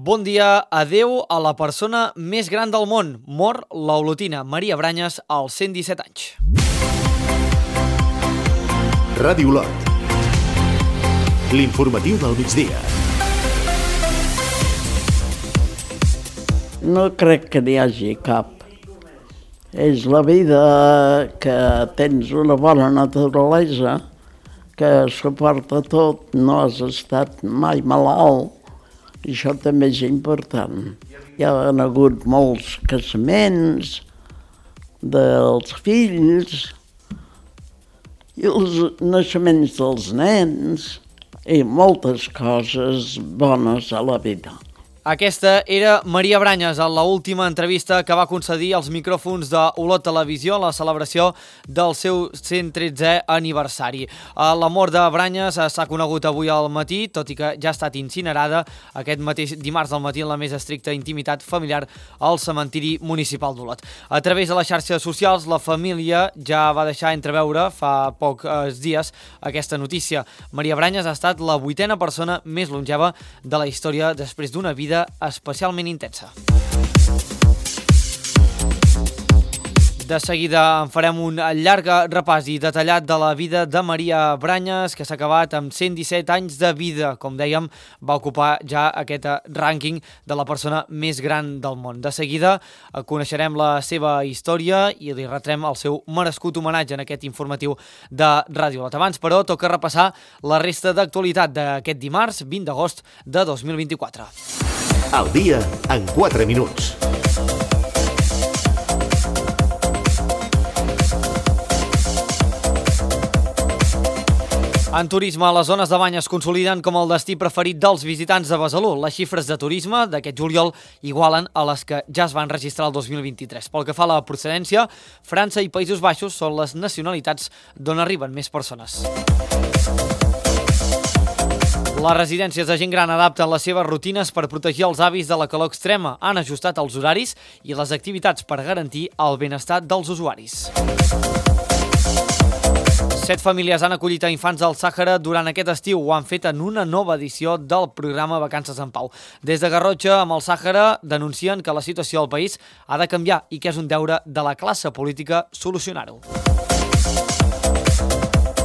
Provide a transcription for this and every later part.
Bon dia, adeu a la persona més gran del món. Mor l'olotina Maria Branyes als 117 anys. Ràdio Lot. L'informatiu del migdia. No crec que n'hi hagi cap. És la vida que tens una bona naturalesa, que suporta tot, no has estat mai malalt. I això també és important. Hi ha hagut molts casaments dels fills i els naixements dels nens i moltes coses bones a la vida. Aquesta era Maria Branyes en l'última entrevista que va concedir als micròfons de Olot Televisió a la celebració del seu 113è aniversari. La mort de Branyes s'ha conegut avui al matí, tot i que ja ha estat incinerada aquest mateix dimarts al matí en la més estricta intimitat familiar al cementiri municipal d'Olot. A través de les xarxes socials, la família ja va deixar entreveure fa pocs dies aquesta notícia. Maria Branyes ha estat la 8a persona més longeva de la història després d'una vida especialment intensa. De seguida en farem un llarg repàs i detallat de la vida de Maria Branyes, que s'ha acabat amb 117 anys de vida. Com dèiem, va ocupar ja aquest rànquing de la persona més gran del món. De seguida coneixerem la seva història i li retrem el seu merescut homenatge en aquest informatiu de Ràdio Lot. Abans, però, toca repassar la resta d'actualitat d'aquest dimarts 20 d'agost de 2024. Al dia en 4 minuts. En turisme, les zones de bany es consoliden com el destí preferit dels visitants de Besalú. Les xifres de turisme d'aquest juliol igualen a les que ja es van registrar el 2023. Pel que fa a la procedència, França i Països Baixos són les nacionalitats d'on arriben més persones. Les residències de gent gran adapten les seves rutines per protegir els avis de la calor extrema. Han ajustat els horaris i les activitats per garantir el benestar dels usuaris. 7 famílies han acollit a infants del Sàhara durant aquest estiu. Ho han fet en una nova edició del programa Vacances en Pau. Des de Garrotxa, amb el Sàhara, denuncien que la situació del país ha de canviar i que és un deure de la classe política solucionar-ho.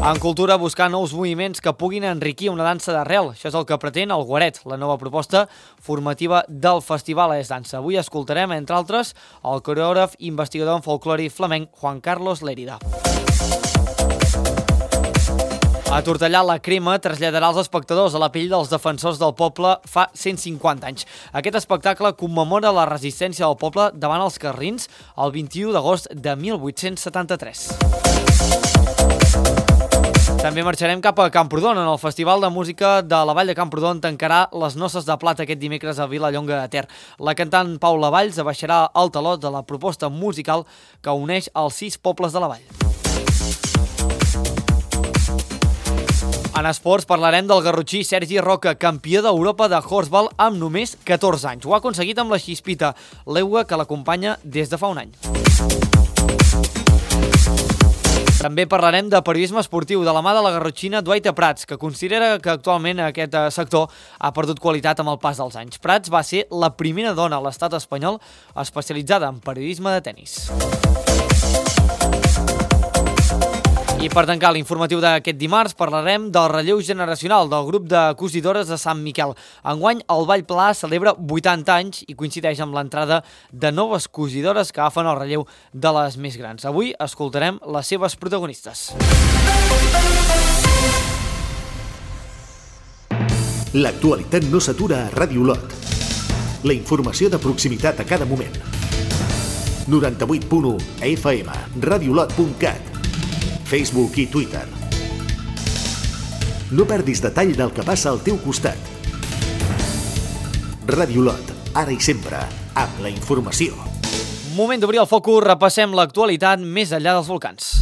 En cultura, buscar nous moviments que puguin enriquir una dansa d'arrel. Això és el que pretén el Guaret, la nova proposta formativa del Festival És Dansa. Avui escoltarem, entre altres, el coreògraf i investigador en folclore flamenc Juan Carlos Lérida. A Tortellà, la Crema traslladarà els espectadors a la pell dels defensors del poble fa 150 anys. Aquest espectacle commemora la resistència del poble davant els carlins el 21 d'agost de 1873. També marxarem cap a Camprodon. En el Festival de Música de la Vall de Camprodon tancarà les Noces de Plata aquest dimecres a Vilallonga de Ter. La cantant Paula Valls abaixarà el teló de la proposta musical que uneix els 6 pobles de la vall. En esports parlarem del garrotxí Sergi Roca, campió d'Europa de horseball amb només 14 anys. Ho ha aconseguit amb la Xispita, l'eua que l'acompanya des de fa un any. També parlarem de periodisme esportiu de la mà de la garrotxina Duaita Prats, que considera que actualment aquest sector ha perdut qualitat amb el pas dels anys. Prats va ser la primera dona a l'estat espanyol especialitzada en periodisme de tennis. I per tancar l'informatiu d'aquest dimarts parlarem del relleu generacional del grup de cosidores de Sant Miquel. Enguany el Ball Pla celebra 80 anys i coincideix amb l'entrada de noves cosidores que agafen el relleu de les més grans. Avui escoltarem les seves protagonistes. L'actualitat no s'atura a Ràdio Lot. La informació de proximitat a cada moment. 98.1 FM, radiolot.cat, Facebook i Twitter. No perdis detall del que passa al teu costat. Ràdio Lot, ara i sempre, amb la informació. Moment d'obrir el focus, repassem l'actualitat més enllà dels volcans.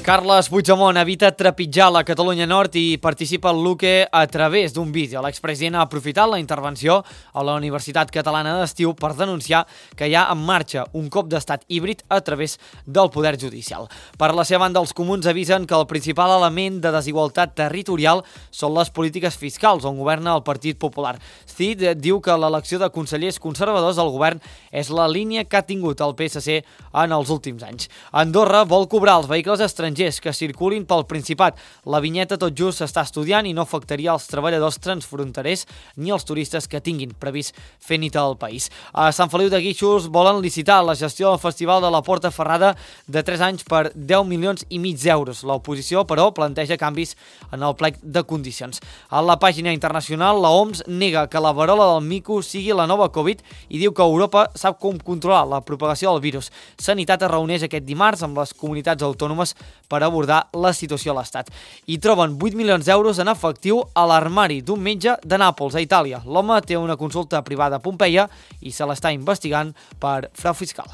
Carles Puigdemont evita trepitjar la Catalunya Nord i participa al Luque a través d'un vídeo. L'expresident ha aprofitat la intervenció a la Universitat Catalana d'Estiu per denunciar que hi ha en marxa un cop d'estat híbrid a través del poder judicial. Per la seva banda, els comuns avisen que el principal element de desigualtat territorial són les polítiques fiscals, on governa el Partit Popular. Cid diu que l'elecció de consellers conservadors al govern és la línia que ha tingut el PSC en els últims anys. Andorra vol cobrar els vehicles estrangers que circulin pel Principat. La vinyeta tot just s'està estudiant i no afectaria els treballadors transfronterers ni els turistes que tinguin previst fer nit al país. A Sant Feliu de Guíxols volen licitar la gestió del Festival de la Porta Ferrada de 3 anys per 10,5 milions d'euros. L'oposició, però, planteja canvis en el plec de condicions. A la pàgina internacional, la OMS nega que la verola del mico sigui la nova Covid i diu que Europa sap com controlar la propagació del virus. Sanitat es reuneix aquest dimarts amb les comunitats autònomes per abordar la situació a l'Estat. I troben 8 milions d'euros en efectiu a l'armari d'un metge de Nàpols, a Itàlia. L'home té una consulta privada a Pompeia i se l'està investigant per frau fiscal.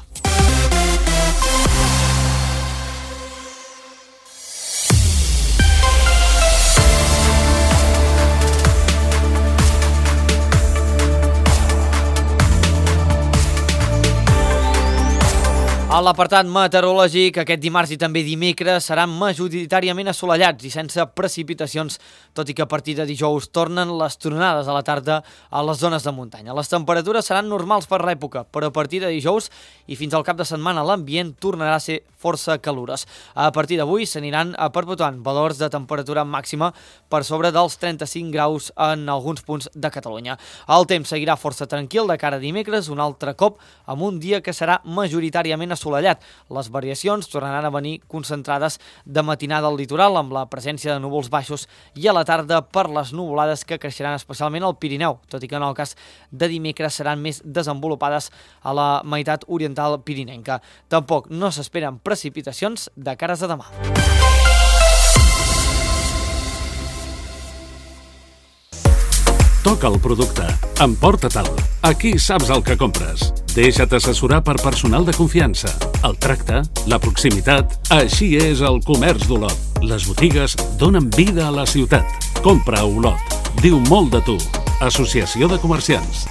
A l'apartat meteorològic, aquest dimarts i també dimecres seran majoritàriament assolellats i sense precipitacions, tot i que a partir de dijous tornen les tronades a la tarda a les zones de muntanya. Les temperatures seran normals per l'època, però a partir de dijous i fins al cap de setmana l'ambient tornarà a ser força calorós. A partir d'avui s'aniran perpetuant valors de temperatura màxima per sobre dels 35 graus en alguns punts de Catalunya. El temps seguirà força tranquil de cara a dimecres, un altre cop amb un dia que serà majoritàriament assolellat. Les variacions tornaran a venir concentrades de matinada al litoral amb la presència de núvols baixos i a la tarda per les nuvolades que creixeran especialment al Pirineu, tot i que en el cas de dimecres seran més desenvolupades a la meitat oriental pirinenca. Tampoc no s'esperen precipitacions de cares a demà. Toca el producte. Emporta-te'l. Aquí saps el que compres. Deixa't assessorar per personal de confiança. El tracte, la proximitat... Així és el comerç d'Olot. Les botigues donen vida a la ciutat. Compra a Olot. Diu molt de tu. Associació de Comerciants.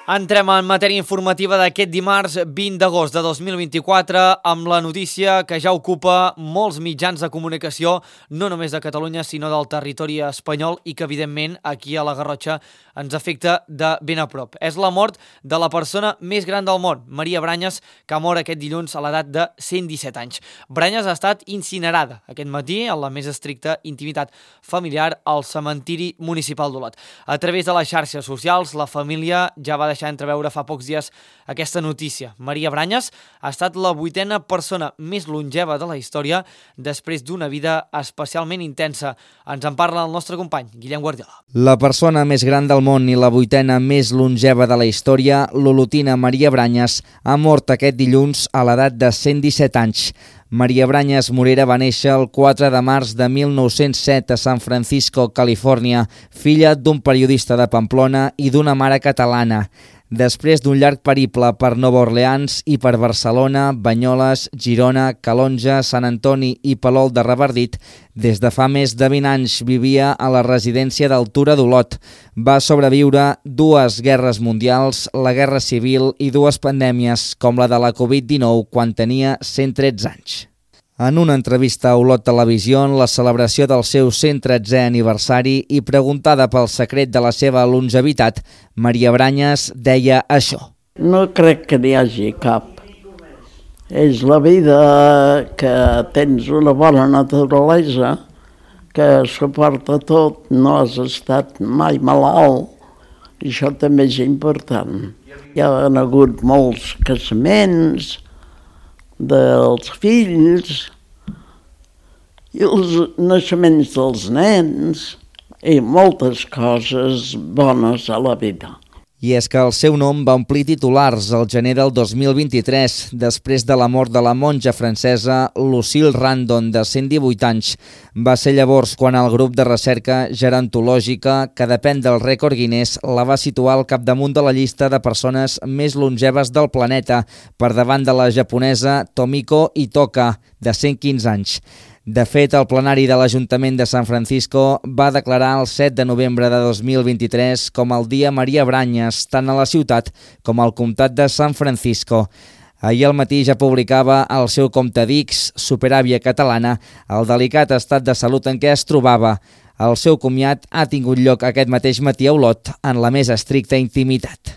Entrem en matèria informativa d'aquest dimarts 20 d'agost de 2024 amb la notícia que ja ocupa molts mitjans de comunicació, no només de Catalunya, sinó del territori espanyol i que, evidentment, aquí a la Garrotxa ens afecta de ben a prop. És la mort de la persona més gran del món, Maria Branyes, que ha mort aquest dilluns a l'edat de 117 anys. Branyes ha estat incinerada aquest matí en la més estricta intimitat familiar al cementiri municipal d'Olot. A través de les xarxes socials, la família ja va deixar entreveure fa pocs dies aquesta notícia. Maria Branyes ha estat la 8a persona més longeva de la història després d'una vida especialment intensa. Ens en parla el nostre company, Guillem Guardiola. La persona més gran del món i la 8a més longeva de la història, l'olotina Maria Branyes, ha mort aquest dilluns a l'edat de 117 anys. Maria Branyes Morera va néixer el 4 de març de 1907 a San Francisco, Califòrnia, filla d'un periodista de Pamplona i d'una mare catalana. Després d'un llarg periple per Nova Orleans i per Barcelona, Banyoles, Girona, Calonja, Sant Antoni i Palol de Revardit, des de fa més de 20 anys vivia a la residència d'Altura d'Olot. Va sobreviure 2 guerres mundials, la Guerra Civil i 2 pandèmies, com la de la Covid-19, quan tenia 113 anys. En una entrevista a Olot Televisió en la celebració del seu 113è aniversari i preguntada pel secret de la seva longevitat, Maria Branyes deia això. No crec que n'hi hagi cap. És la vida que tens una bona naturalesa, que suporta tot, no has estat mai malalt. Això també és important. Hi ha hagut molts casaments dels fills i els naixements dels nens i moltes coses bones a la vida. I és que el seu nom va omplir titulars al gener del 2023, després de la mort de la monja francesa Lucille Randon, de 118 anys. Va ser llavors quan el grup de recerca gerontològica, que depèn del rècord Guinness, la va situar al capdamunt de la llista de persones més longeves del planeta, per davant de la japonesa Tomiko Itoka, de 115 anys. De fet, el plenari de l'Ajuntament de San Francisco va declarar el 7 de novembre de 2023 com el Dia Maria Branyes, tant a la ciutat com al comtat de San Francisco. Ahir al matí ja publicava al seu compte d'X, Superàvia Catalana, el delicat estat de salut en què es trobava. El seu comiat ha tingut lloc aquest mateix matí a Olot, en la més estricta intimitat.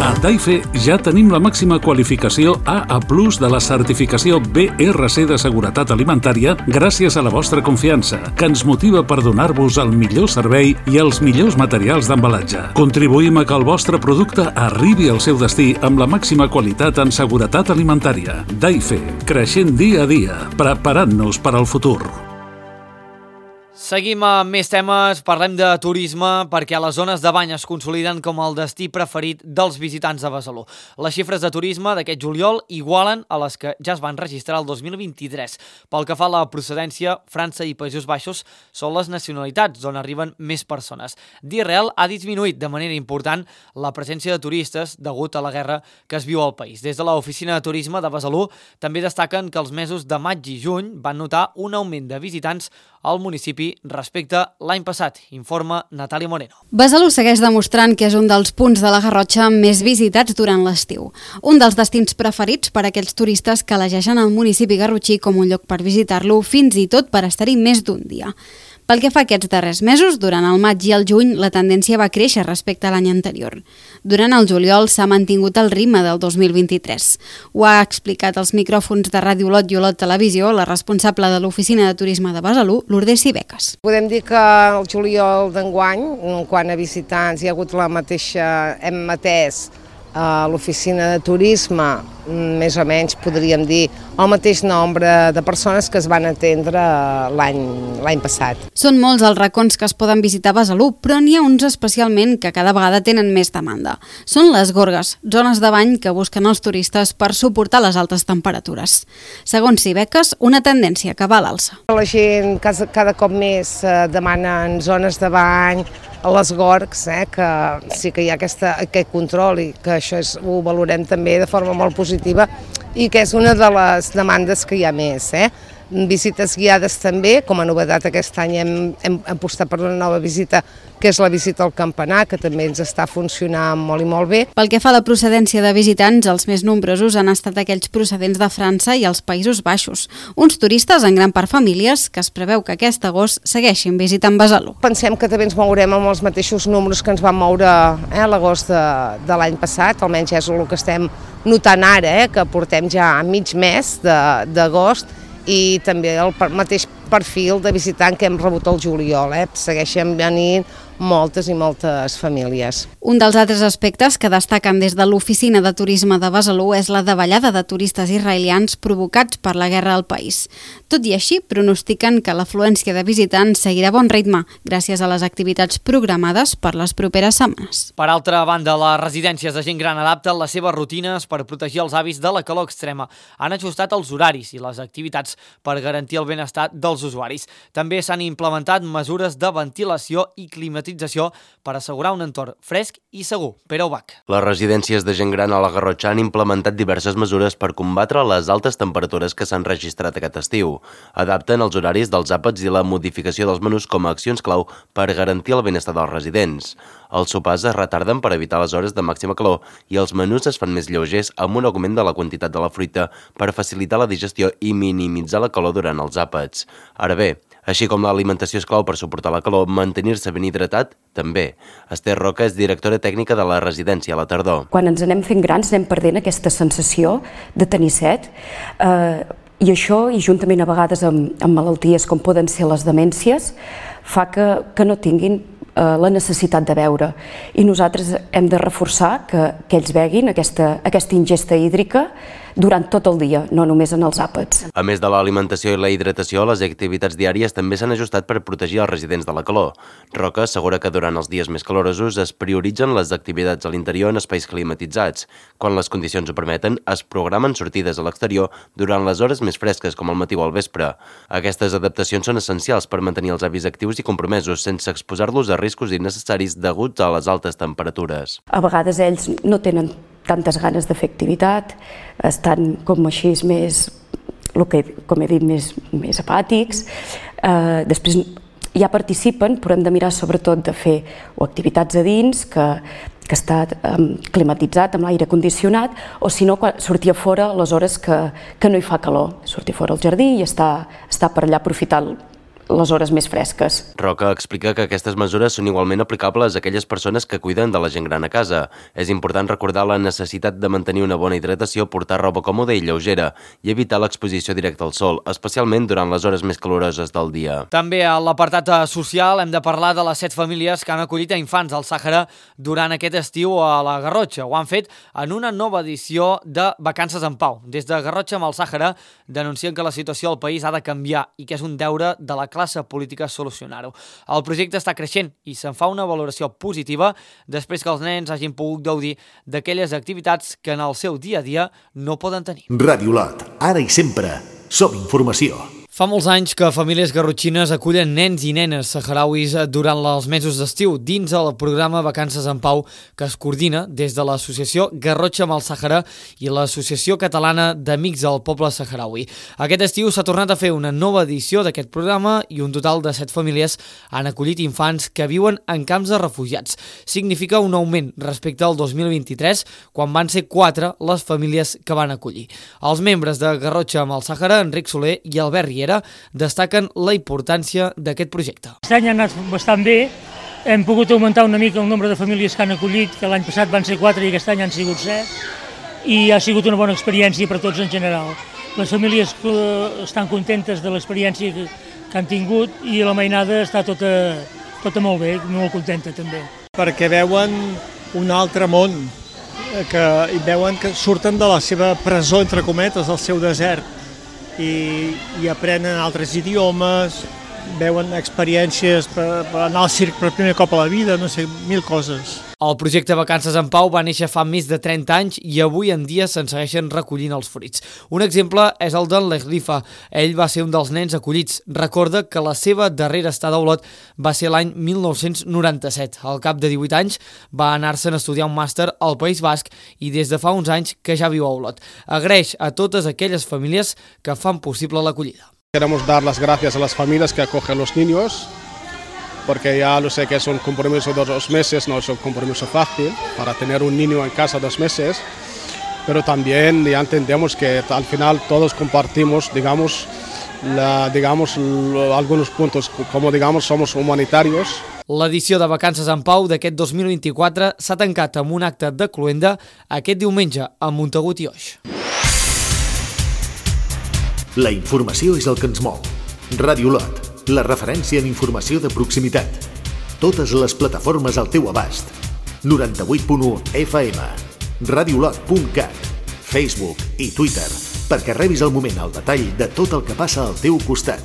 A Daife ja tenim la màxima qualificació AA+ de la certificació BRC de seguretat alimentària gràcies a la vostra confiança, que ens motiva per donar-vos el millor servei i els millors materials d'embalatge. Contribuïm a que el vostre producte arribi al seu destí amb la màxima qualitat en seguretat alimentària. Daife, creixent dia a dia, preparant-nos per al futur. Seguim amb més temes, parlem de turisme perquè les zones de bany es consoliden com el destí preferit dels visitants de Besalú. Les xifres de turisme d'aquest juliol igualen a les que ja es van registrar el 2023. Pel que fa a la procedència, França i Països Baixos són les nacionalitats on arriben més persones. D'Israel ha disminuït de manera important la presència de turistes degut a la guerra que es viu al país. Des de l'Oficina de Turisme de Besalú també destaquen que els mesos de maig i juny van notar un augment de visitants al municipi respecte a l'any passat, informa Natàlia Moreno. Besalú segueix demostrant que és un dels punts de la Garrotxa més visitats durant l'estiu. Un dels destins preferits per a aquells turistes que elegeixen el municipi garrotxí com un lloc per visitar-lo, fins i tot per estar-hi més d'un dia. Pel que fa a aquests darrers mesos, durant el maig i el juny, la tendència va créixer respecte a l'any anterior. Durant el juliol s'ha mantingut el ritme del 2023. Ho ha explicat als micròfons de Ràdio Olot i Olot Televisió la responsable de l'Oficina de Turisme de Besalú, Lourdes Sibecas. Podem dir que el juliol d'enguany, quant a visitants, hi ha hagut la mateixa, hem atès a l'Oficina de Turisme, més o menys podríem dir el mateix nombre de persones que es van atendre l'any passat. Són molts els racons que es poden visitar a Besalú, però n'hi ha uns especialment que cada vegada tenen més demanda. Són les gorgues, zones de bany que busquen els turistes per suportar les altes temperatures. Segons Sibecas, una tendència que va a l'alça. La gent cada cop més demana zones de bany, a les gorgs, que sí que hi ha aquest control i que això ho valorem també de forma molt positiva i que és una de les demandes que hi ha més. Visites guiades també, com a novetat aquest any hem apostat per una nova visita, que és la visita al campanar, que també ens està funcionant molt i molt bé. Pel que fa a la procedència de visitants, els més nombrosos han estat aquells procedents de França i els Països Baixos, uns turistes en gran part famílies que es preveu que aquest agost segueixin visitant Besalú. Pensem que també ens mourem amb els mateixos números que ens van moure a l'agost de l'any passat, almenys és el que estem notant ara, que portem ja mig mes d'agost, i també el mateix perfil de visitant que hem rebut al juliol. Segueixen venint moltes i moltes famílies. Un dels altres aspectes que destaquen des de l'Oficina de Turisme de Besalú és la davallada de turistes israelians provocats per la guerra al país. Tot i així, pronostiquen que l'afluència de visitants seguirà a bon ritme gràcies a les activitats programades per les properes setmanes. Per altra banda, les residències de gent gran adapten les seves rutines per protegir els avis de la calor extrema. Han ajustat els horaris i les activitats per garantir el benestar dels usuaris. També s'han implementat mesures de ventilació i climatització per assegurar un entorn fresc i segur. Pere Ubach. Les residències de gent gran a la Garrotxa han implementat diverses mesures per combatre les altes temperatures que s'han registrat aquest estiu. Adapten els horaris dels àpats i la modificació dels menús com a accions clau per garantir el benestar dels residents. Els sopars es retarden per evitar les hores de màxima calor i els menús es fan més lleugers amb un augment de la quantitat de la fruita per facilitar la digestió i minimitzar la calor durant els àpats. Ara bé, així com l'alimentació és clau per suportar la calor, mantenir-se ben hidratat també. Esther Roca és directora tècnica de la residència a la tardor. Quan ens anem fent grans anem perdent aquesta sensació de tenir set i això, i juntament a vegades amb malalties com poden ser les demències, fa que no tinguin la necessitat de beure. I nosaltres hem de reforçar que ells beguin aquesta ingesta hídrica durant tot el dia, no només en els àpats. A més de l'alimentació i la hidratació, les activitats diàries també s'han ajustat per protegir els residents de la calor. Roca assegura que durant els dies més calorosos es prioritzen les activitats a l'interior en espais climatitzats. Quan les condicions ho permeten, es programen sortides a l'exterior durant les hores més fresques, com al matí o al vespre. Aquestes adaptacions són essencials per mantenir els avis actius i compromesos, sense exposar-los a riscos innecessaris deguts a les altes temperatures. A vegades ells no tenen tantes ganes de fer activitat, estan com així més, com he dit, més apàtics. Després ja participen, però hem de mirar sobretot de fer activitats a dins, que està climatitzat amb l'aire condicionat, o si no, sortir a fora a les hores que no hi fa calor. Sortir fora al jardí i estar per allà aprofitant les hores més fresques. Roca explica que aquestes mesures són igualment aplicables a aquelles persones que cuiden de la gent gran a casa. És important recordar la necessitat de mantenir una bona hidratació, portar roba còmoda i lleugera i evitar l'exposició directa al sol, especialment durant les hores més caloroses del dia. També a l'apartat social hem de parlar de les 7 famílies que han acollit a infants al Sàhara durant aquest estiu a la Garrotxa. Ho han fet en una nova edició de Vacances en Pau. Des de Garrotxa amb el Sàhara denuncien que la situació al país ha de canviar i que és un deure de la classe política solucionar-ho. El projecte està creixent i se'n fa una valoració positiva després que els nens hagin pogut gaudir d'aquelles activitats que en el seu dia a dia no poden tenir. Ràdio Lot, ara i sempre, som informació. Fa molts anys que famílies garrotxines acullen nens i nenes saharauis durant els mesos d'estiu dins el programa Vacances en Pau que es coordina des de l'associació Garrotxa amb el Sàhara i l'Associació Catalana d'Amics del Poble Saharaui. Aquest estiu s'ha tornat a fer una nova edició d'aquest programa i un total de 7 famílies han acollit infants que viuen en camps de refugiats. Significa un augment respecte al 2023, quan van ser 4 les famílies que van acollir. Els membres de Garrotxa amb el Sàhara, Enric Soler i Albert Riera, destaquen la importància d'aquest projecte. Aquest any ha anat bastant bé, hem pogut augmentar una mica el nombre de famílies que han acollit, que l'any passat van ser 4 i aquest any han sigut 7, i ha sigut una bona experiència per tots en general. Les famílies estan contentes de l'experiència que han tingut i la mainada està tota molt bé, molt contenta també. Perquè veuen un altre món, i veuen que surten de la seva presó, entre cometes, del seu desert, i aprenen altres idiomes, veuen experiències per anar al circ per primer cop a la vida, no sé, 1000 coses. El projecte Vacances en Pau va néixer fa més de 30 anys i avui en dia se'n segueixen recollint els fruits. Un exemple és el d'en Lehlifa. Ell va ser un dels nens acollits. Recorda que la seva darrera estada a Olot va ser l'any 1997. Al cap de 18 anys va anar-se'n a estudiar un màster al País Basc i des de fa uns anys que ja viu a Olot. Agraeix a totes aquelles famílies que fan possible l'acollida. Queremos dar las gracias a las familias que acogen los niños, porque ya lo sé que es un compromiso de 2 meses, no es un compromiso fácil para tener un niño en casa 2 meses, pero también ya entendemos que al final todos compartimos, digamos, algunos puntos, como digamos somos humanitarios. L'edició de Vacances en Pau d'aquest 2024 s'ha tancat amb un acte de cloenda aquest diumenge a Montagut i Oix. La informació és el que ens mou. Ràdio Lot, la referència en informació de proximitat. Totes les plataformes al teu abast. 98.1 FM, radiolot.cat, Facebook i Twitter, perquè rebis al moment el detall de tot el que passa al teu costat.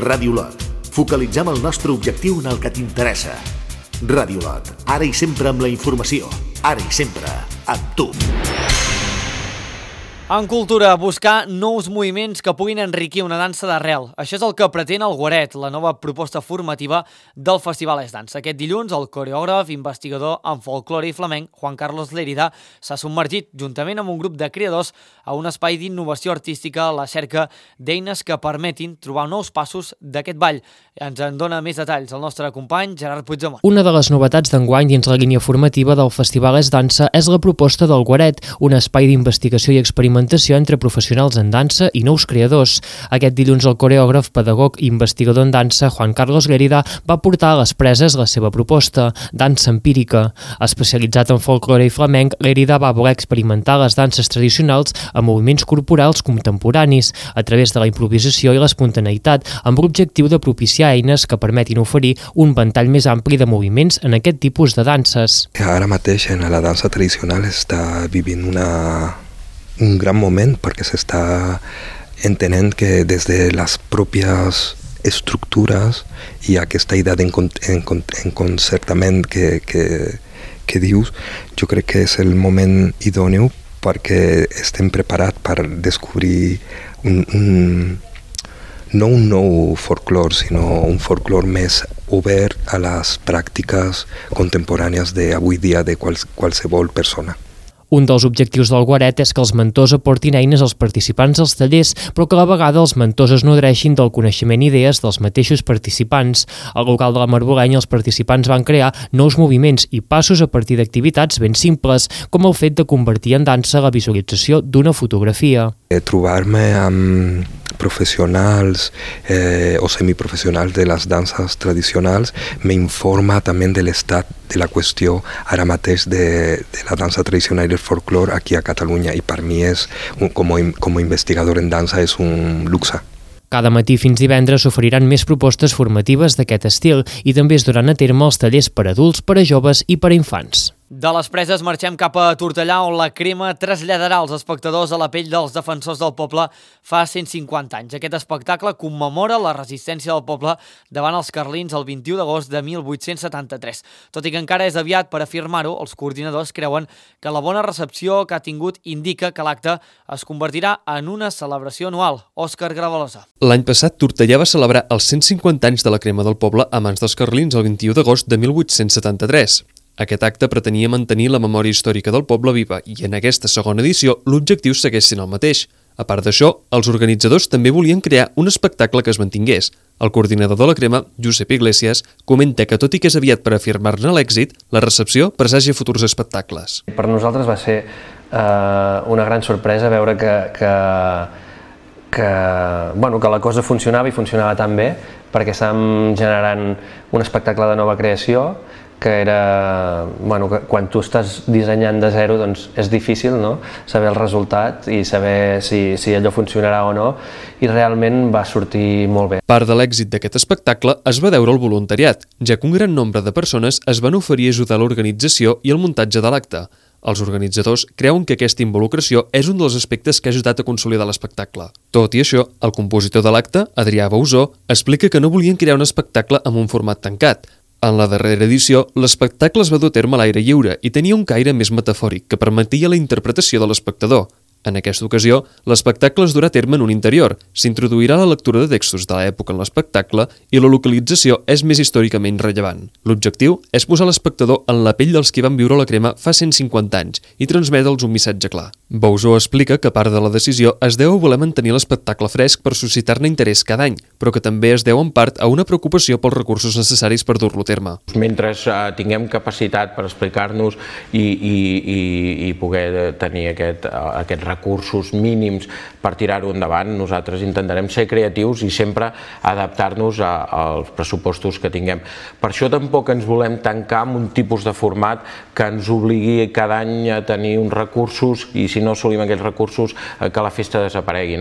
Ràdio Lot, focalitzem el nostre objectiu en el que t'interessa. Ràdio Lot, ara i sempre amb la informació, ara i sempre amb tu. En cultura, buscar nous moviments que puguin enriquir una dansa d'arrel. Això és el que pretén el Guaret, la nova proposta formativa del Festival Es Dansa. Aquest dilluns, el coreògraf, investigador en folklore i flamenc, Juan Carlos Lérida, s'ha submergit, juntament amb un grup de creadors, a un espai d'innovació artística a la cerca d'eines que permetin trobar nous passos d'aquest ball. Ens en dona més detalls el nostre company Gerard Puigdemont. Una de les novetats d'enguany dins la línia formativa del Festival Es Dansa és la proposta del Guaret, un espai d'investigació i experimentació entre professionals en dansa i nous creadors. Aquest dilluns el coreògraf, pedagog i investigador en dansa Juan Carlos Lérida va portar a les preses la seva proposta, dansa empírica. Especialitzat en folklore i flamenc, Lérida va voler experimentar les danses tradicionals amb moviments corporals contemporanis a través de la improvisació i l'espontaneïtat, amb l'objectiu de propiciar eines que permetin oferir un ventall més ampli de moviments en aquest tipus de danses. Ara mateix en la dansa tradicional està vivint un gran moment perquè s'està entenent que des de les pròpies estructures i aquesta idea d'enconcertament que dius, jo crec que és el moment idòneu perquè estem preparats per descobrir no un nou folklore, sinó un folklore més obert a les pràctiques contemporànies d'avui dia de qualsevol persona. Un dels objectius del Guaret és que els mentors aportin eines als participants dels tallers, però que a la vegada els mentors es nodreixin del coneixement i idees dels mateixos participants. Al local de la Marbolenya els participants van crear nous moviments i passos a partir d'activitats ben simples, com el fet de convertir en dansa la visualització d'una fotografia. Trobar-me amb professionals o semiprofessionals de les danses tradicionals m'informa també de l'estat de la qüestió ara mateix de la dansa tradicional i el folklore aquí a Catalunya, i per mi com a investigador en dansa és un luxe. Cada matí fins divendres s'oferiran més propostes formatives d'aquest estil i també es duran a terme els tallers per a adults, per a joves i per a infants. De les Preses marxem cap a Tortellà, on la crema traslladarà els espectadors a la pell dels defensors del poble fa 150 anys. Aquest espectacle commemora la resistència del poble davant els carlins el 21 d'agost de 1873. Tot i que encara és aviat per afirmar-ho, els coordinadors creuen que la bona recepció que ha tingut indica que l'acte es convertirà en una celebració anual. Òscar Gravalosa. L'any passat, Tortellà va celebrar els 150 anys de la crema del poble a mans dels carlins el 21 d'agost de 1873. Aquest acte pretenia mantenir la memòria històrica del poble viva i en aquesta segona edició l'objectiu segueix sent el mateix. A part d'això, els organitzadors també volien crear un espectacle que es mantingués. El coordinador de la crema, Josep Iglesias, comenta que tot i que és aviat per afirmar-ne l'èxit, la recepció presagia futurs espectacles. Per nosaltres va ser una gran sorpresa veure que la cosa funcionava i funcionava tan bé, perquè estàvem generant un espectacle de nova creació que era, que quan tu estàs dissenyant de zero doncs és difícil, no? Saber el resultat i saber si allò funcionarà o no, i realment va sortir molt bé. Part de l'èxit d'aquest espectacle es va deure al voluntariat, ja que un gran nombre de persones es van oferir a ajudar a l'organització i el muntatge de l'acte. Els organitzadors creuen que aquesta involucració és un dels aspectes que ha ajudat a consolidar l'espectacle. Tot i això, el compositor de l'acte, Adrià Bausó, explica que no volien crear un espectacle amb un format tancat. En la darrera edició, l'espectacle es va dur a terme a l'aire lliure i tenia un caire més metafòric que permetia la interpretació de l'espectador. En aquesta ocasió, l'espectacle es durà a terme en un interior, s'introduirà la lectura de textos de l'època en l'espectacle i la localització és més històricament rellevant. L'objectiu és posar l'espectador en la pell dels que van viure la crema fa 150 anys i transmetre'ls un missatge clar. Bausó explica que part de la decisió es deu a voler mantenir l'espectacle fresc per suscitar-ne interès cada any, però que també es deu en part a una preocupació pels recursos necessaris per dur-lo a terme. Mentre tinguem capacitat per explicar-nos i poder tenir aquests recursos mínims per tirar-ho endavant, nosaltres intentarem ser creatius i sempre adaptar-nos als pressupostos que tinguem. Per això tampoc ens volem tancar en un tipus de format que ens obligui cada any a tenir uns recursos i si no assolim aquells recursos que la festa desaparegui.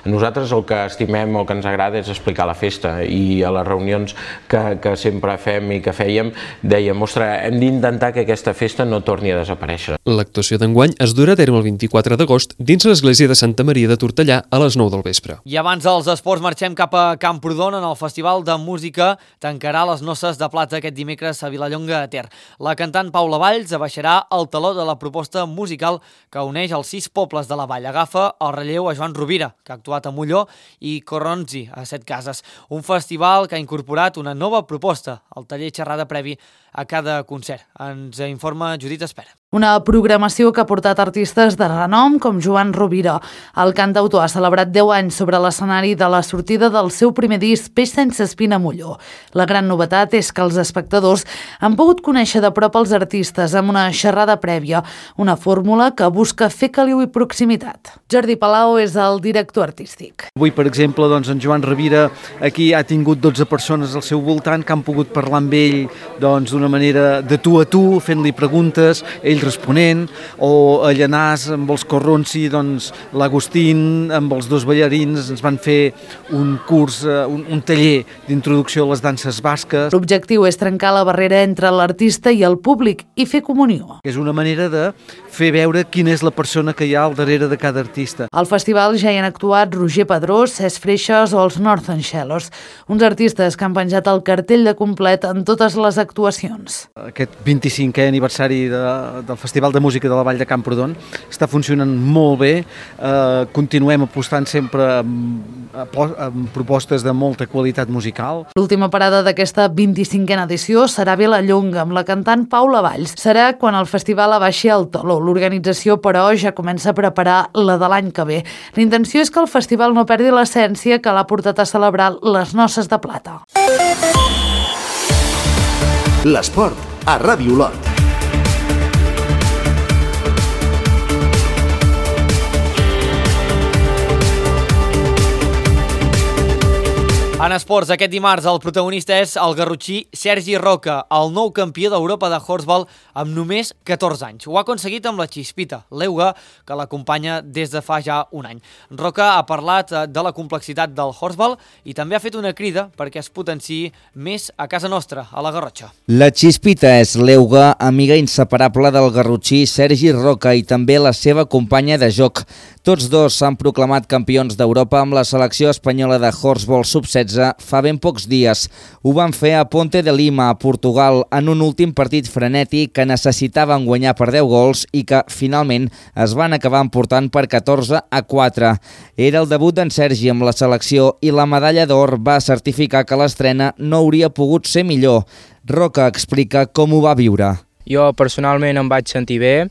Nosaltres el que estimem, el que ens agrada és explicar la festa, i a les reunions que sempre fem i que fèiem dèiem, ostres, hem d'intentar que aquesta festa no torni a desaparèixer. L'actuació d'enguany es durà a terme el 24 d'agost dins l'església de Santa Maria de Tortellà a les 9 del vespre. I abans dels esports marxem cap a Camprodon, on el Festival de Música tancarà les noces de plata aquest dimecres a Vilallonga de Ter. La cantant Paula Valls abaixarà el taló de la proposta musical que uneix els 6 pobles de la vall. Agafa el relleu a Joan Rovira, que ha actuat a Molló, i Corronzi, a Setcases. Un festival que ha incorporat una nova proposta, el taller xerrada previ a cada concert. Ens informa Judit Espera. Una programació que ha portat artistes de renom com Joan Rovira. El cantautor ha celebrat 10 anys sobre l'escenari de la sortida del seu primer disc Peix sense espina a Molló. La gran novetat és que els espectadors han pogut conèixer de prop els artistes amb una xerrada prèvia, una fórmula que busca fer caliu i proximitat. Jordi Palau és el director artístic. Avui, per exemple, en Joan Rovira aquí ha tingut 12 persones al seu voltant que han pogut parlar amb ell d'una manera de tu a tu, fent-li preguntes. Ell Miquel Responent, o a Llanàs amb els Corronsi, doncs l'Agustín amb els dos ballarins ens van fer un curs, un taller d'introducció a les danses basques. L'objectiu és trencar la barrera entre l'artista i el públic i fer comunió. És una manera de fer veure quina és la persona que hi ha al darrere de cada artista. Al festival ja hi han actuat Roger Pedrós, Cesc Freixas o els Northern Shellos, uns artistes que han penjat el cartell de complet en totes les actuacions. Aquest 25è aniversari del Festival de Música de la Vall de Camprodon està funcionant molt bé, continuem apostant sempre amb propostes de molta qualitat musical. L'última parada d'aquesta 25a edició serà Vilallonga, amb la cantant Paula Valls. Serà quan el festival abaixi el teló. L'organització, però, ja comença a preparar la de l'any que ve. La intenció és que el festival no perdi l'essència que l'ha portat a celebrar les Noces de Plata. L'esport a Ràdio Olot. En esports, aquest dimarts el protagonista és el garrotxí Sergi Roca, el nou campió d'Europa de Horsball amb només 14 anys. Ho ha aconseguit amb la Chispita, l'euga, que l'acompanya des de fa ja un any. Roca ha parlat de la complexitat del Horsball i també ha fet una crida perquè es potenciï més a casa nostra, a la Garrotxa. La Chispita és l'euga, amiga inseparable del garrotxí Sergi Roca i també la seva companya de joc. Tots dos s'han proclamat campions d'Europa amb la selecció espanyola de Horsball sub-16 fa ben pocs dies. Ho van fer a Ponte de Lima, a Portugal, en un últim partit frenètic que necessitaven guanyar per 10 gols i que finalment es van acabar emportant per 14-4. Era el debut d'en Sergi amb la selecció i la medalla d'or va certificar que l'estrena no hauria pogut ser millor. Roca explica com ho va viure. Jo personalment em vaig sentir bé,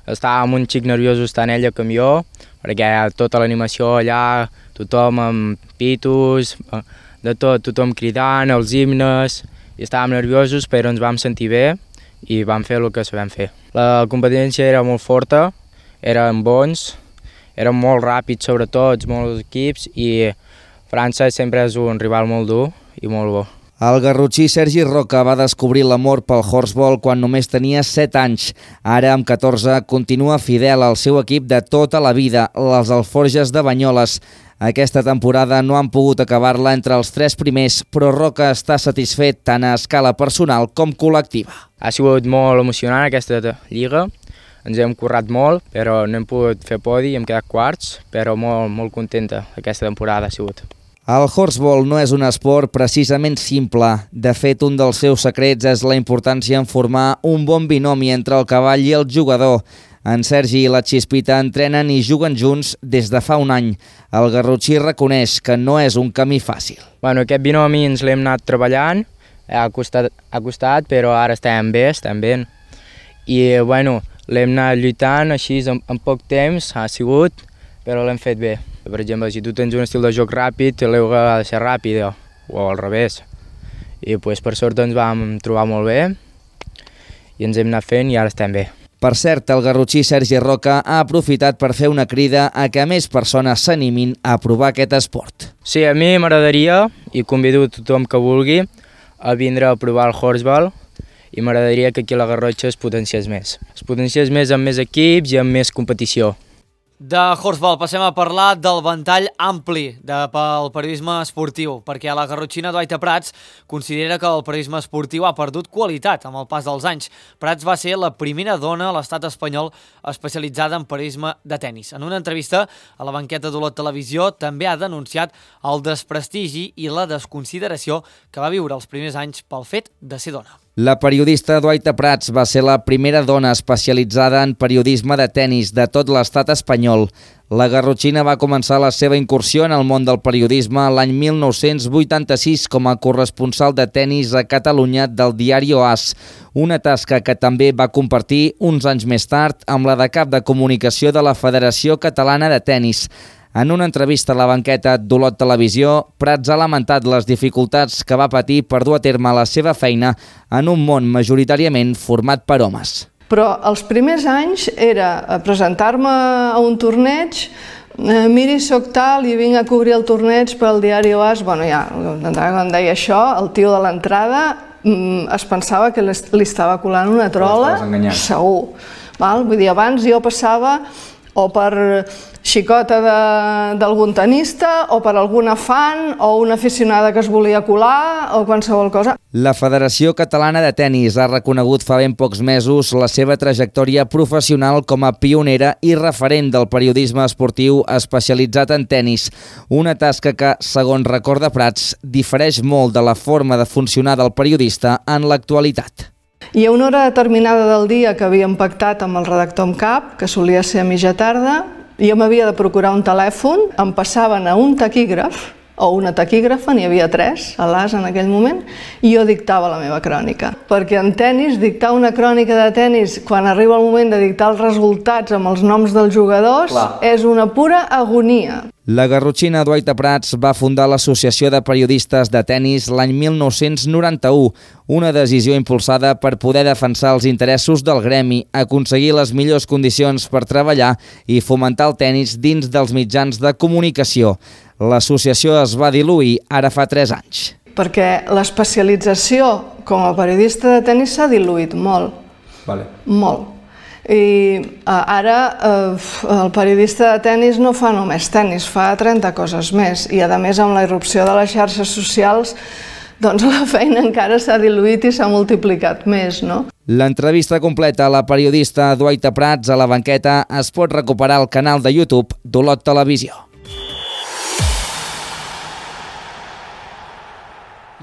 estava un xic nerviosos tant ella com jo, perquè tota l'animació allà, tothom amb pitos, de tot, tothom cridant, els himnes, i estàvem nerviosos però ens vam sentir bé i vam fer el que sabem fer. La competència era molt forta, eren bons, eren molt ràpids sobretot, molts equips, i França sempre és un rival molt dur i molt bo. El garrotxí Sergi Roca va descobrir l'amor pel Horsball quan només tenia 7 anys. Ara, amb 14, continua fidel al seu equip de tota la vida, les Alforges de Banyoles. Aquesta temporada no han pogut acabar-la entre els 3 primers, però Roca està satisfet tant a escala personal com col·lectiva. Ha sigut molt emocionant aquesta lliga, ens hem currat molt, però no hem pogut fer podi, hem quedat quarts, però molt contenta aquesta temporada ha sigut. El Horsball no és un esport precisament simple. De fet, un dels seus secrets és la importància en formar un bon binomi entre el cavall i el jugador. En Sergi i la Chispita entrenen i juguen junts des de fa un any. El garrotxí reconeix que no és un camí fàcil. Aquest binomi ens l'hem anat treballant, ha costat, però ara estem bé. I l'hem anat lluitant així en poc temps, ha sigut, però l'hem fet bé. Per exemple, si tu tens un estil de joc ràpid, l'euga ha de ser ràpida, o al revés. I per sort ens vam trobar molt bé i ens hem anat fent i ara estem bé. Per cert, el garrotxí Sergi Roca ha aprofitat per fer una crida a que més persones s'animin a provar aquest esport. Sí, a mi m'agradaria, i convido tothom que vulgui, a vindre a provar el Horsball, i m'agradaria que aquí a la Garrotxa es potenciés més. Es potenciés més amb més equips i amb més competició. De Horsball passem a parlar del ventall ampli pel periodisme esportiu, perquè la garrotxina Duaita Prats considera que el periodisme esportiu ha perdut qualitat amb el pas dels anys. Prats va ser la primera dona a l'estat espanyol especialitzada en periodisme de tennis. En una entrevista a la banqueta d'Olot Televisió també ha denunciat el desprestigi i la desconsideració que va viure els primers anys pel fet de ser dona. La periodista Duaita Prats va ser la primera dona especialitzada en periodisme de tennis de tot l'estat espanyol. La garrotxina va començar la seva incursió en el món del periodisme l'any 1986 com a corresponsal de tennis a Catalunya del diari AS, una tasca que també va compartir uns anys més tard amb la de cap de comunicació de la Federació Catalana de Tennis. En una entrevista a la banqueta d'Olot Televisió, Prats ha lamentat les dificultats que va patir per dur a terme la seva feina en un món majoritàriament format per homes. Però els primers anys era presentar-me a un torneig, miri, soc tal i vinc a cobrir el torneig pel diari AS. Bueno, ja, quan deia això, el tio de l'entrada es pensava que li estava colant una trola, segur. Vull dir, abans jo passava o per xicota d'algun tenista, o per alguna fan, o una aficionada que es volia colar, o qualsevol cosa. La Federació Catalana de Tenis ha reconegut fa ben pocs mesos la seva trajectòria professional com a pionera i referent del periodisme esportiu especialitzat en tenis, una tasca que, segons Recorda Prats, difereix molt de la forma de funcionar del periodista en l'actualitat. Hi ha una hora determinada del dia que havíem pactat amb el redactor en cap, que solia ser a mitja tarda, i jo m'havia de procurar un telèfon, em passaven a un taquígraf, o una taquígrafa, n'hi havia 3 a l'AS en aquell moment, i jo dictava la meva crònica. Perquè en tenis, dictar una crònica de tenis quan arriba el moment de dictar els resultats amb els noms dels jugadors és una pura agonia. La garrotxina Duaita Prats va fundar l'Associació de Periodistes de Tenis l'any 1991, una decisió impulsada per poder defensar els interessos del gremi, aconseguir les millors condicions per treballar i fomentar el tenis dins dels mitjans de comunicació. L'associació es va diluir ara fa 3 anys. Perquè l'especialització com a periodista de tenis s'ha diluït molt. Molt. I ara el periodista de tenis no fa només tenis, fa 30 coses més. I a més amb la irrupció de les xarxes socials doncs la feina encara s'ha diluït i s'ha multiplicat més, no? L'entrevista completa a la periodista Duaita Prats a la banqueta es pot recuperar al canal de YouTube d'Olot Televisió.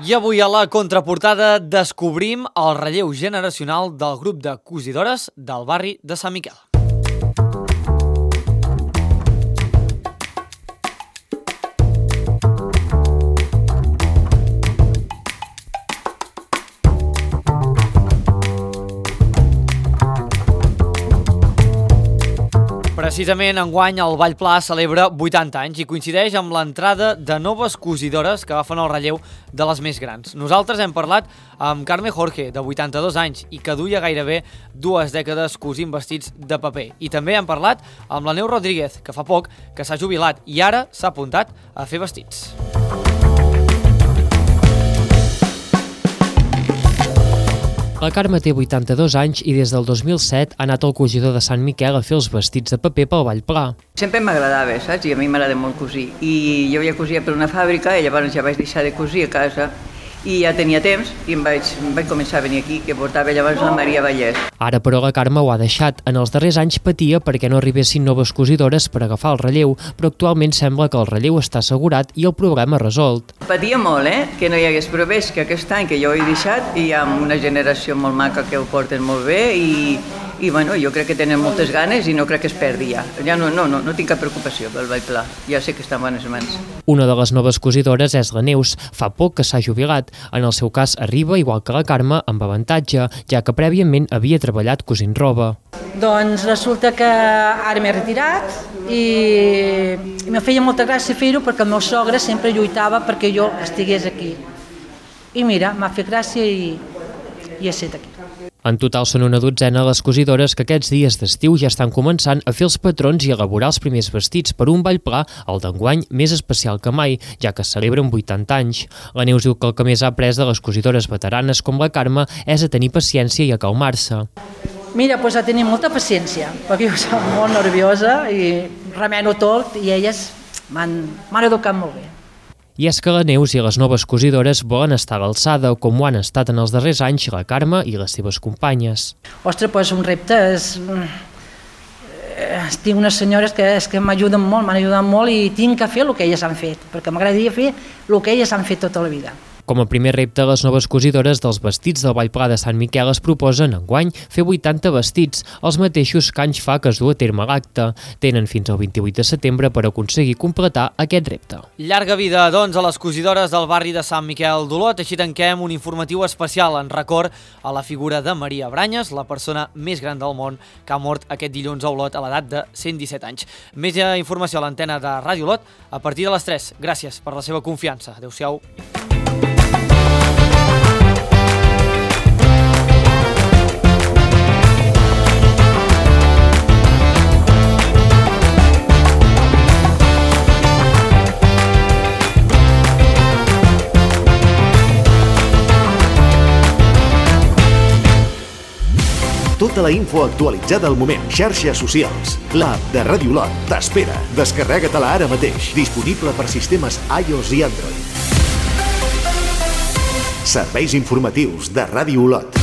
I avui a la contraportada descobrim el relleu generacional del grup de cosidores del barri de Sant Miquel. Precisament enguany el Ball Pla celebra 80 anys i coincideix amb l'entrada de noves cosidores que agafen el relleu de les més grans. Nosaltres hem parlat amb Carme Jorge, de 82 anys, i que duia gairebé 2 dècades cosint vestits de paper. I també hem parlat amb la Neus Rodríguez, que fa poc que s'ha jubilat i ara s'ha apuntat a fer vestits. La Carme té 82 anys i des del 2007 ha anat al cosidor de Sant Miquel a fer els vestits de paper pel Ball Pla. Sempre m'agradava, saps? I a mi m'agrada molt cosir. I jo ja cosia per una fàbrica i llavors ja vaig deixar de cosir a casa i ja tenia temps i em vaig començar a venir aquí, que portava llavors la Maria Vallès. Ara, però, la Carme ho ha deixat. En els darrers anys patia perquè no arribessin noves cosidores per agafar el relleu, però actualment sembla que el relleu està assegurat i el problema resolt. Patia molt, que no hi hagués, però veig que aquest any que jo ho he deixat hi ha una generació molt maca que ho porten molt bé i bueno, jo crec que tenen moltes ganes i no crec que es perdi ja. Ja no tinc cap preocupació pel Ball Pla, ja sé que està en bones mans. Una de les noves cosidores és la Neus. Fa poc que s'ha jubilat. En el seu cas arriba, igual que la Carme, amb avantatge, ja que prèviament havia treballat cosint roba. Doncs resulta que ara m'he retirat i me feia molta gràcia fer-ho perquè el meu sogre sempre lluitava perquè jo estigués aquí. I mira, m'ha fet gràcia i he estat aquí. En total són una dotzena les cosidores que aquests dies d'estiu ja estan començant a fer els patrons i a elaborar els primers vestits per un Ball Pla, el d'enguany més especial que mai, ja que es celebren 80 anys. La Neus diu que el que més ha après de les cosidores veteranes com la Carme és a tenir paciència i a calmar-se. Mira, doncs a tenir molta paciència, perquè jo soc molt nerviosa i remeno tot i elles m'han educat molt bé. I és que la Neus i les noves cosidores volen estar a l'alçada, com ho han estat en els darrers anys la Carme i les seves companyes. Ostres, doncs un repte és... Tinc unes senyores que m'ajuden molt, m'han ajudat molt i tinc que fer el que elles han fet, perquè m'agradaria fer el que elles han fet tota la vida. Com a primer repte, les noves cosidores dels vestits del Ball Pla de Sant Miquel es proposen enguany fer 80 vestits, els mateixos que anys fa que es du a terme l'acte. Tenen fins al 28 de setembre per aconseguir completar aquest repte. Llarga vida, doncs, a les cosidores del barri de Sant Miquel d'Olot. Així tanquem un informatiu especial en record a la figura de Maria Branyes, la persona més gran del món que ha mort aquest dilluns a Olot a l'edat de 117 anys. Més informació a l'antena de Ràdio Olot a partir de les 3. Gràcies per la seva confiança. Adéu-siau. Totes Tota la info actualitzada al moment. Xarxes socials. L'app de Ràdio Olot t'espera. Descarrega-te-la ara mateix. Disponible per sistemes iOS i Android. Serveis informatius de Ràdio Olot.